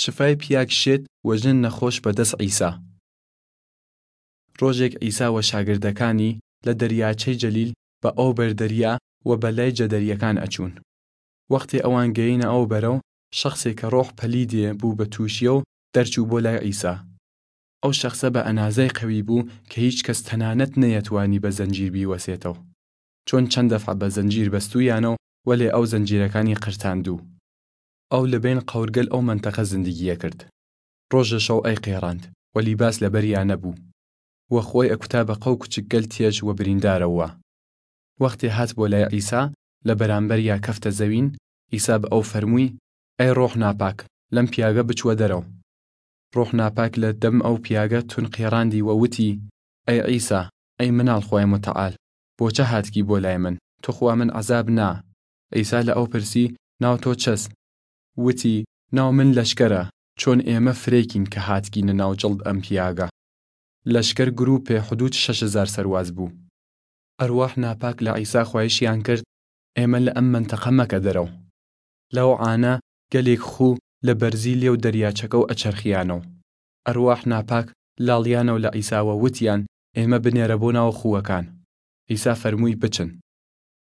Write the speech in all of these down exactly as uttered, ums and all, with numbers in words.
شفای پیاگ شێت و ژن نەخۆش بەدەس عیسا. ڕۆژێگ عیسا و شاگردەکانی لە دەریاچەی جەلیل بە ئەو بەر دەریا و بە لای جەدەریەکان ئەچوون. وەختێ ئەوان گەینە ئەو بەرەو، شەخسێ کە ڕۆح پەلیدێ بوو بە تووشیەو دەرچوو بۆ لای عیسا. ئەو شەخسە بە ئەنازەی قەوی بوو کە هیچ کەس تەنانەت نەیەتوانی بە زەنجیر بیوەسێتەو. چۆن چەن دەفعە بە زەنجیر بەستوویانەو، وەلێ ئەو زەنجیرەکانی قرتاندوو. ئەو لە بەین قەورگەل ئەو مەنتەقە زندگیە کرد. ڕۆژە شەو ئەی قێڕاند و لیباس لە بەریا نەبوو. و خوەی ئەکوتا بە قەو کوچکگەل تیەش و بریندارەوە. وەختێ هات بۆ لای عیسا، لە بەرامبەریا کەفتە زەوین، عیسا بە ئەو فەرمووی، ئەی ڕۆح ناپاک، لەم پیاگە بچوە دەرەو. ڕۆح ناپاک لە دەم ئەو پیاگە تون قێڕاندی و وتی، ئەی عیسا، ئەی مناڵ خوەی متعال، بۆچە هاتکی بۆ لای من؟ تو خوا من عەزاب نا. عیسا لە ئەو پرسی، ناو تۆ چەس؟ وتی، ناو من لەشکەرە، چۆن ئێمە فرەیکین کە هاتکینە ناو جڵد ئەم پیاگە. لەشکەر گروپێ حدود شەش هەزار سەرواز بوو. ئەرواح ناپاک لە عیسا خوایشیان کرد، ئێمە لە ئەم مەنتەقە مەکە دەرەو. لەو عانە گەلێک خوو لە بەرزی لێو دەریاچەکەو ئەچەرخیانەو. ئەرواح ناپاک لاڵیانەو لە عیساوە وتیان، ئێمە بنێرە بۆ ناو خووەکان. عیسا فەرمووی، بچن.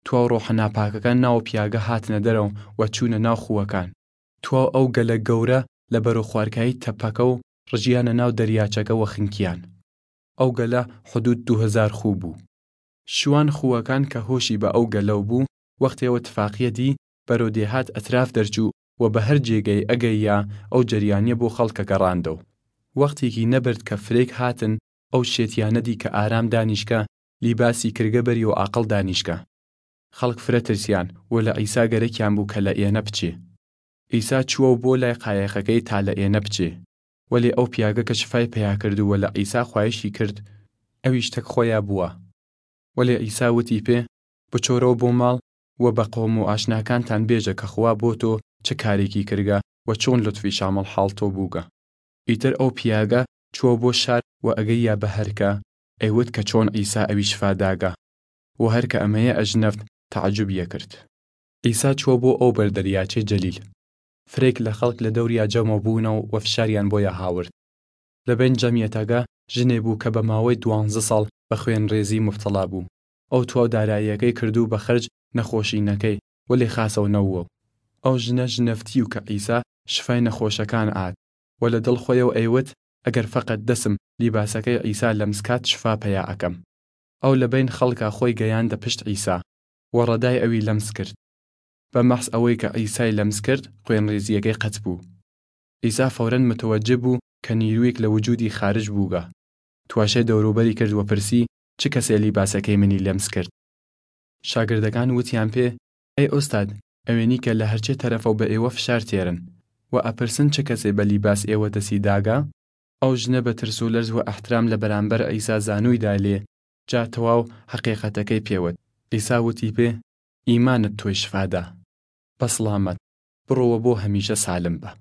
تواو ڕۆحە ناپاکەکان ناو پیاگە هاتنە دەرەو و چوونە ناو خووەکان. تواو ئەو گەلە گەورە لە بەرەو خوارکایی تەپەکەو ڕژیانە ناو دەریاچەکە و خنکیان. ئەو گەلە حدود دوو هەزار خوو بوو. شوان خووەکان کە هۆشی بە ئەو گەلەو بوو، وەختێ وە تفاقیە دی، بەرەو دێهات ئەتراف دەرچوو و بە هەر جێگەی ئەگەیا ئەو جەریانیە بۆ خەڵکە گەڕاندەو. وەختێکی نەبرد کە فرەیگ هاتن ئەو شێتیانە دی کە ئارام دانیشکە، لیباسی کرگە بەری و عاقڵ دانیشکە. خەڵک فرە ترسیان و لە عیسا گەرەکیان بوو کە لە ئێنە بچێ. عیسا چووەو بۆ لای قایەخەکەی تا لە ئێنە بچێ. وەلێ ئەو پیاگە کە شفای پەیا کردوو و لە عیسا خوایشی کرد، ئەویش تەک خوەیا بووە. وەلێ عیسا وتی پێ، بچۆرەو بۆ ماڵ و بە قۆم و ئاشناکانتان بێژە کە خوا بۆ تۆ چ کارێکی کرگە و چۆن لوتفی شامڵ حاڵ تۆ بووگە. ئیتر ئەو پیاگە چووە بۆ شار و ئەگەیا بە هەرکە ئەیوت کە چۆن عیسا ئەوی شفا داگە. و هەرکە ئەمەیە ئەژنەفت تەعەجوبیە کرد. عیسا چووە بۆ ئەو بەر دەریاچەی جەلیل. فرەیگ لە خەڵک لە دەوریا جەمەو بوونەو و فشاریان بۆیا هاورد. لە بەین جەمیەتەگە ژنێ بوو کە بە ماوەی دوانزە ساڵ بە خوێنڕێزی موبتەڵا بوو. ئەو تواو داراییەکەی کردوو بە خەرج نەخۆشینەکەی، وەلێ خاسەو نەووەو. ئەو ژنە ژنەفتیو کە عیسا شفای نەخۆشەکان ئاد، و لە دڵ خوەیەو ئەیوت، ئەگەر فەقەت دەسم لیباسەکەی عیسا لەمس کات شفا پەیا ئەکەم. ئەو لە بەین خەڵکا خوەی گەیاندە پشت عیسا، و ڕەدای ئەوی لەمس کرد. بە مەحس ئەوەی کە عیسای لەمس کرد خوێنڕێزیەکەی قەت بوو. عیسا فەورەن متەوەجه بوو کە نیرویگ لە وجودی خارج بووگە. تواشەی دەوروبەری کرد و پرسی، چ کەسێ لیباسەکەی منی لەمس کرد؟ شاگردەکان وتیان پێ، ئەی ئوستاد، ئەوێنی کە لە هەرچێ تەرەفەو بە ئێوە فشار تێرن و ئەپرسن چ کەسێ بە لیباس ئێوە دەسی داگە؟ ئەو ژنە بە ترس و لەرز و ئەحترام لە بەرامبەر عیسا زانووی دالێ، جا تەواو هەقیقەتەکەی پێوت. عیسا وتی پێ، ئیمانت تۆی شفا دا. بەسڵامەت، بڕۆوە بۆ هەمیشە سالم بە.